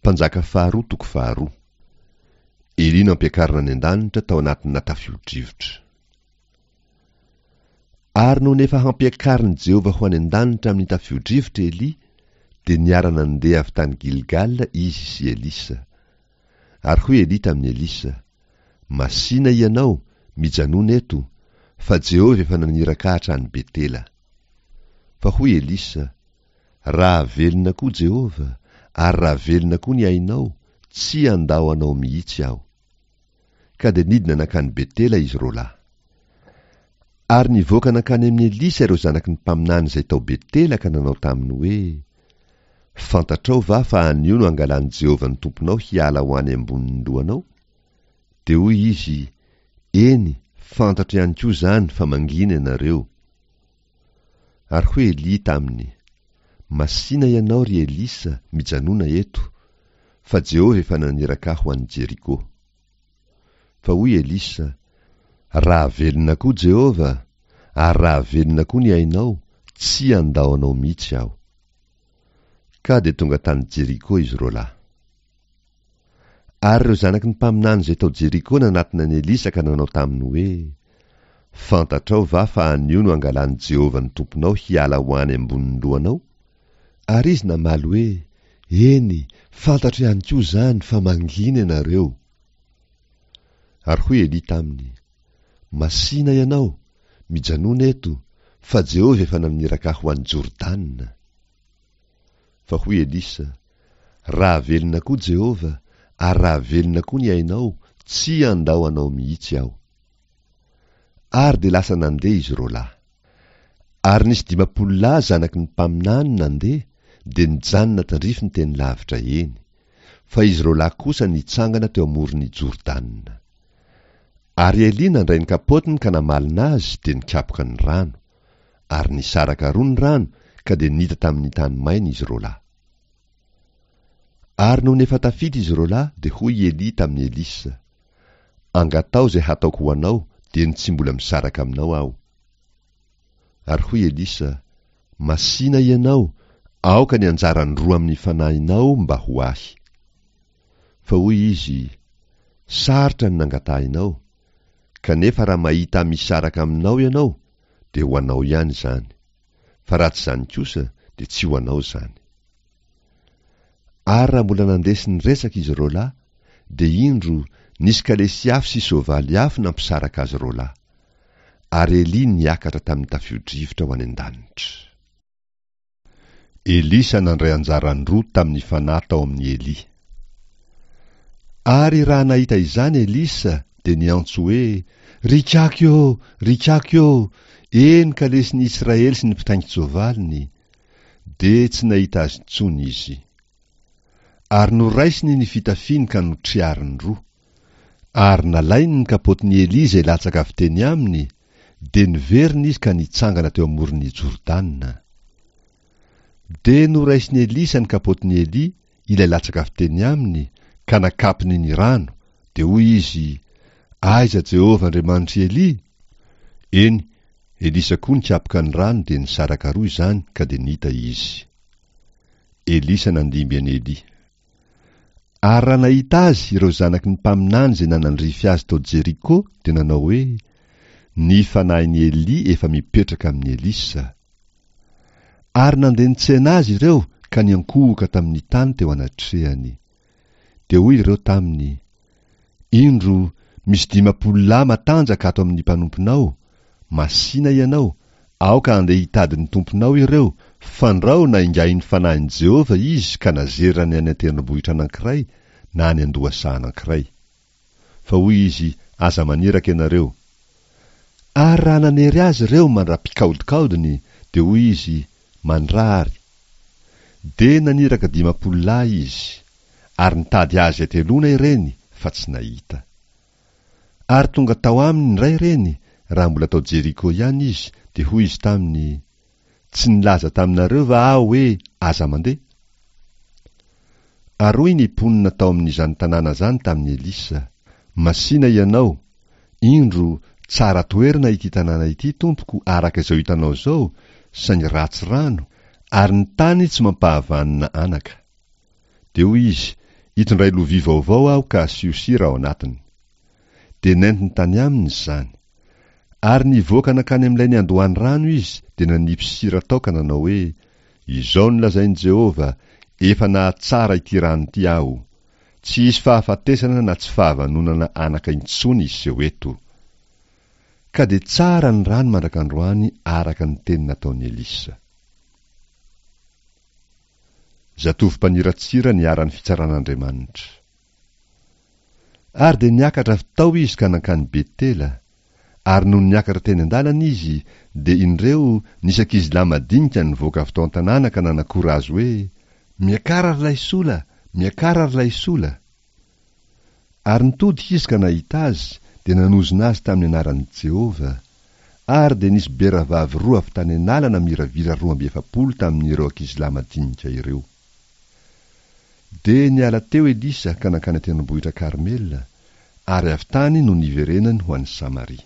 Mpanjaka faharoa toko faharoa. Elia nampiakarina any an-danitra tao anatina tafio-drivotra. Ary nony efa hampiakarin'i Jehovah ho any an-danitra amin'ny tafio-drivotra Elia, dia niara-nandeha avy tany Gilgala izy sy Elisa. Ary hoy Elia tamin'i Elisa, Masìna hianao, mijanòna eto, fa Jehovah efa naniraka ahy hatrany Betela. Fa hoy Elisa, Raha velona koa Jehovah, ary raha velona koa ny ainao, tsy handao anao mihitsy aho. Ka dia nidina nankany Betela izy roalahy. Ary nivoaka nankany amin'i Elisa ireo zanaky ny mpaminany izay tao Betela ka nanao taminy hoe, Fantatrao va fa anio no hangalan'i Jehovah ny Tomponao hiala ho any ambonin'ny lohanao? Dia hoy izy, Eny, fantatro ihany koa izany fa mangina ianareo. Ary hoy Elia taminy, Masìna ianao, ry Elisa, mijanòna eto, fa Jehovah efa naniraka ahy ho any Jeriko. Fa hoy Elisa, Raha velona koa Jehovah, ary raha velona koa ny ainao, tsy handao anao mihitsy aho. Ka dia tonga tany Jeriko izy roalahy. Ary ireo zanaky ny mpaminany izay tao Jeriko nanatona an'i Elisa ka nanao taminy hoe, Fantatrao va fa anio no hangalan'i Jehovah ny Tomponao hiala ho any ambonin'ny lohanao? Ary izy namaly hoe, Eny, fantatro ihany koa izany fa mangina ianareo. Ary hoy Elia taminy, Masìna ianao, mijanòna eto, fa Jehovah efa naniraka ahy ho any Jordana. Fa hoy Elisa, Raha velona koa Jehovah, ary raha velona koa ny ainao, tsy handao anao mihitsy aho. Ary dia lasa nandeha izy roalahy. Ary nisy 50 lahy zanaky ny mpaminany nandeha, dia nijanona tandrifiny teny lavitra eny. Fa izy roalahy kosa nitsangana teo amoron'i Jordana. Ary Elia nandray ny kapôtiny ka namalona azy, dia nikapoka ny rano. Ary nisaraka roa ny rano, ka dia nita tamin'ny tany maina izy roalahy. Ary nony efa tafita izy roalahy, dia hoy i Elia tamin'i Elisa, Angataho izay hataoko ho anao, dieny tsy mbola misaraka aminao aho. Ary hoy Elisa, Masìna ianao, aoka ny anjaran'ny roa amin'ny fanahinao mba ho ahy. Fa hoy izy, Sarotra ny nangatahinao, kanefa raha mahita ahy misaraka aminao ianao, dia ho anao ihany izany, fa raha tsy izany kosa, dia tsy ho anao izany. Ary raha mbola nandeha sy niresaka izy roalahy, dia indro, nisy kalesy afo sy soavaly afo nampisaraka azy roalahy. Ary Elia niakatra tamin'ny tafio-drivotra ho any an-danitra. Elisa nandray anjaran-droa tamin'ny fanahy tao amin'i Elia. Ary raha nahita izany Elisa, dia niantso hoe, Ry kaky ô! Ry kaky ô! Eny kalesin'i Israely sy ny mpitaingin-tsoavaliny! Dia tsy nahita azy intsony izy. Ary noraisiny ny fitafiany ka notriariny roa. Ary nalainy ny kapotin'i Elia izay latsaka avy teny aminy, dia niverina izy ka nitsangana teo amoron'i Jordana. Dia noraisin'i Elisa ny kapotin'i Elia, ilay latsaka avy teny aminy, ka nakapiny ny rano, dia hoy izy, Aiza Jehovah Andriamanitr'i Elia? Eny, Elisa koa nikapoka ny rano dia nisaraka roa izany ka dia nita izy. Elisa nandimby an'i Elia. Ary raha nahita azy ireo zanaky ny mpaminany izay nanandrify azy tao Jeriko dia nanao hoe, Ny fanahin'i Elia efa mipetraka amin'i Elisa. Ary nandeha nitsena azy ireo ka niankohoka tamin'ny tany teo anatrehany. Dia hoy ireo taminy, Indro, misy 50 lahy matanjaka ato amin'ny mpanomponao, masìna ianao, aoka handeha hitady ny tomponao ireo, fandrao naingahin'ny fanahin'i Jehovah izy ka nazerany any an-tendrombohitra anankiray na any an-dohasaha anankiray. Fa hoy izy, Aza maniraka ianareo. Ary raha nanery azy ireo mandra-pikaodikaodiny, dia hoy izy, Mandrary. Dia naniraka 50 lahy izy, ary nitady azy hateloana ireny, fa tsy nahita. Ary tonga tao aminy indray ireny, raha mbola tao Jeriko ihany izy, dia hoy izy taminy, Tsy nilaza taminareo va aho hoe, Aza mandeha? Ary hoy ny mponina tao amin'izany tanàna izany tamin'i Elisa, Masìna ianao, indro, tsara toerana ity tanàna ity, tompoko, araka izao hitanao izao, saingy ratsy rano, ary ny tany tsy mampahavanona anaka. Dia hoy izy, Itondray lovia vaovao aho ka asio sira ao anatiny. Dia nentiny tany aminy izany. Ary nivoaka nankany amin'ilay niandohan'ny rano izy dia nanipy sira tao ka nanao hoe, Izao no lazain'i Jehovah, 'Efa nahatsara ity rano ity aho. Tsy hisy fahafatesana na tsy fahavanonana anaka intsony hiseho eto. Ka dia tsara ny rano mandrak'androany araka ny teny nataon'i Elisa. Zatovo mpaniratsira niharan'ny fitsaran'Andriamanitra. Ary dia niakatra avy tao izy ka nankany Betela, ary nony niakatra teny an-dalana izy, dia indreo, nisy ankizilahy madinika nivoaka avy tao an-tanàna ka nanakora azy hoe, Miakara ry laisola! Miakara ry laisola! Ary nitodika izy ka nahita azy, dia nanozona azy tamin'ny anaran'i Jehovah. Ary dia nisy beravavy roa avy tany an'ala namiravira 42 tamin'ireo ankizilahy madinika ireo. Dia niala teo Elisa ka nankany an-tendrombohitra Karmela, ary avy tany no niverenany ho any Samaria.